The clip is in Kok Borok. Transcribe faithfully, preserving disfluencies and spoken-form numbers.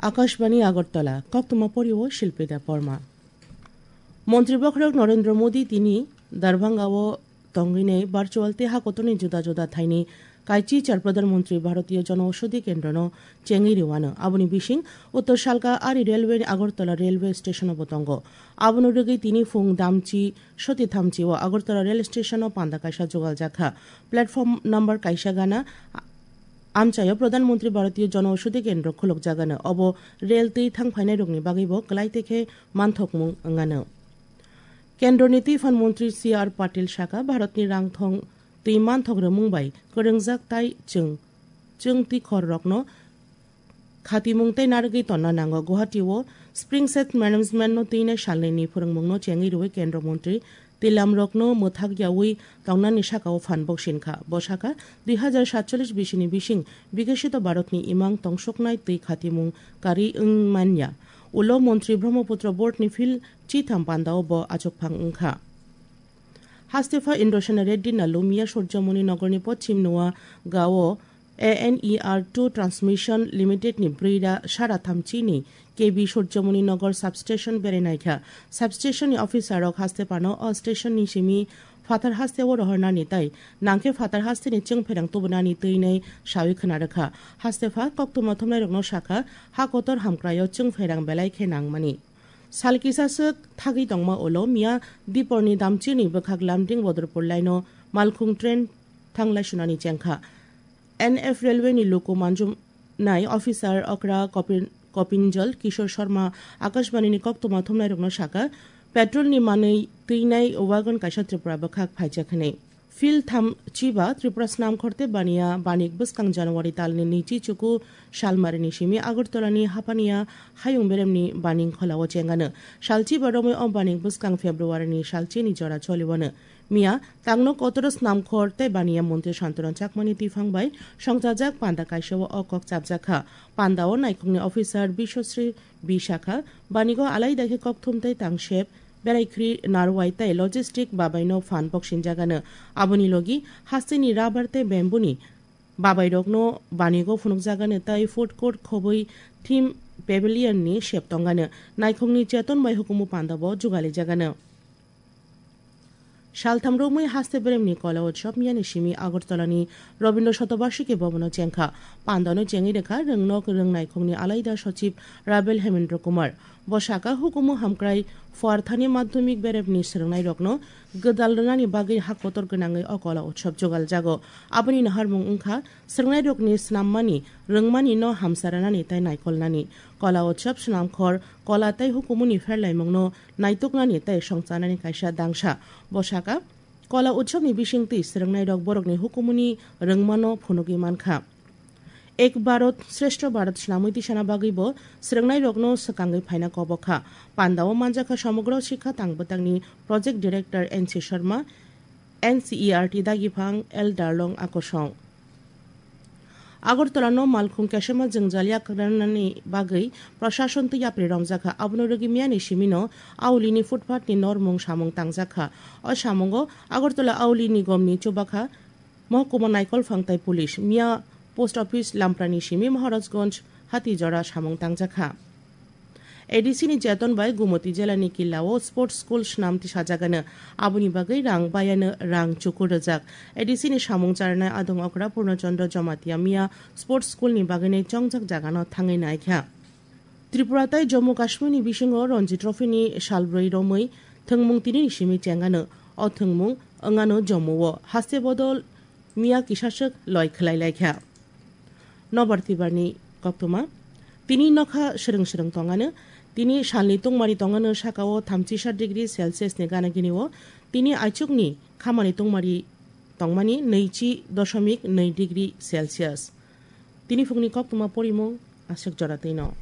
Akashbani Agartala, koktwma pori o Shilpi Debbarma. Montri bokhorok Narendra Modi tini Darbhanga o tongwinai virtual tei hakotorni juda juda thaini kaichi char Pradhan Mantri Bharatiya Jana Aushadhi Kendrono chengwi rwano. Aboni bising Uttor Salka Ari Railway ni Agartala Railway Station o bo tongo. Abono rwgwi tini phung damchi soti thamchi o Agartala Rail Station o panda kaisa jugaljakha. Platform number kaisa gana amchaio Pradhan Mantri Bharatiya Jana Aushadhi Kendro khulukjagano. Obo rail twi thang phainairokni bagwibo kwlai tekhe manthokmung wngano. Kendroni Twiphan Mantri C R Patil sakha, Bharatni rangthong twi manthok rwmung bai kwrwngjak tai chwng, chwng twi khorrokno khatimung tei narwgwi tonna nango. Guwahati o Spring Set Management no twinai salnwini phwrwngmungno chengwi rwui Kendro Mantri twilamrokno mwthak yaui tongnani sakao phan boksin kha. Bo sakha, dui hazar satcholish bisini bising Bikashito Bharatni imang tongsoknai twi khatimung karwi wng manya. Ulo Montri Brahmaputra Board ni field chitham pandao bo achukphang wngkha. Hastepha Indrasena Reddy Nallu miya Surjamoni Nogorni Pochim Noa Gao A N E R two Transmission Limited ni brwi ra sara thamchi ni K V Surjamoni Nogor Substation berai naikha. Substation ni officer rok haste phano o station ni simi phatar haste o rohornani tai nangkhe phatar haste ni chwngpherang tubunani twinai sawi khwna rwkha. Haste pha koktwma thumnairokno sakha, ha kotor hamkraio chwngpherang belai khe nangmani. Sal kisa swk thagwi tongma ulo miya Diporni Damchirni bwkhak Lamding Bodorpur line o malkhung train thanglai sunani chengkha. N F Railway ni luku manjumnai officer okra Kopin-, Kopinjal Kishore Sharma Akashbani ni koktwma thumnairokno sakha, petrol ni manwi twinai wagon kaisa Tripura bwkhak phaijak hwnwi. Field tham chiba Tripura Snamkhor tei Baniya banik bwskang January talni nwichi chuku salmarini simi Agartala ni Hapaniya hayung beremni baning kholao chengano. Salchiba romwi o banik bwskang February ni salchini jora choliwano. Miya tangno kotoro Snamkhor tei Baniya Montri Santona Chakmani twiphang bai songchajak panda kaisao o kok chapjakha. Pandao naikhungni officer Biswasri Bisakha banigo alaida khe kokthum tei tangsep beraikhri narwai tei logistic babaino phan boksinjagano. Aboni logi hasteni rubber tei bamboo ni babairokno banigo phunukjagano tei food court khobwi theme pavilion ni sep tongano. Naikhungni cheton bai hukumu pandabo jugalijagano. Saltham romwi haste beremni Kola Utsav miyani simi Agartalani Rabindra Shatobarshiki Bhavan o chengkha. Pandano chengwi rwkha Rwngnok Rwngnaikhungni alaida sochib Rabel Hemendra Kumar. Bo sakha hukumu hamkrai Phuarthani Madhyamik beremni swrwngnairokno gwdal rwnani bagwi hak kotor gwnangwi o Kola Utsav jugaljago. Aboni naharmung wngkha swrwngnairokni snammani, rwngmani no hamsa rwnani tei naikolnani. Kola Utsav Snamkhor, Kola tei hukumuni pherlaimungno naituknani tei songchanani kaisa dangsa. Bo sakha, Kola Utsav ni bisingtwi swrwngnairok borokni hukumuni rwngmano phunugwi mankha. Ek Bharat, Shreshtha Bharat swnamwi tisana bagwibo swrwngnairokno swkangwi phaina kobokha. Pandao manjakha Samagro Sikha Tangbwtangni Project Director N C Sharma, N C E R T dagiphang L Darlong Akosong. Agartala no malkhung kesema jwngjal yakrwnani bagwi prashason twi yapri romjakha. Abono rwgwi miyani simino aulini footpath ni normung samung tangjakha. O samungo Agartala auli nigomni chubakha Mohkuma Naikolphang tei police, miya post office Lamprani simi Maharajganj Hatijora samung tangjakha. A D C ni jeton bai Gumoti jela ni killa o sports school swnam tisajagano. Aboni bagwi rang bayano rang chukur rwjak. A D C ni samung charnai adong okra Purno Chandra Jamatia miya sports school ni bagwino chongjak jagano thangwi naikha. Tripura tei Jammu Kashmir ni bisingo Ranji Trophy ni salbrwi romwi thwngmung tini ni simi chengano. O thwngmung wngano Jammu o haste bodol miya kisaswk loi khwlai laikha. Nobar Tibarni koktwma. Tini nokha swrwng swrwng tongano. Tini salni tungmari tongano sakao thamchisa degree Celsius ni gana gini o. Tini aichukni khamani tungmari tongmani nwichi doshomik nwi degree Celsius. Tini phungni koktwma porimung aswk jora twino.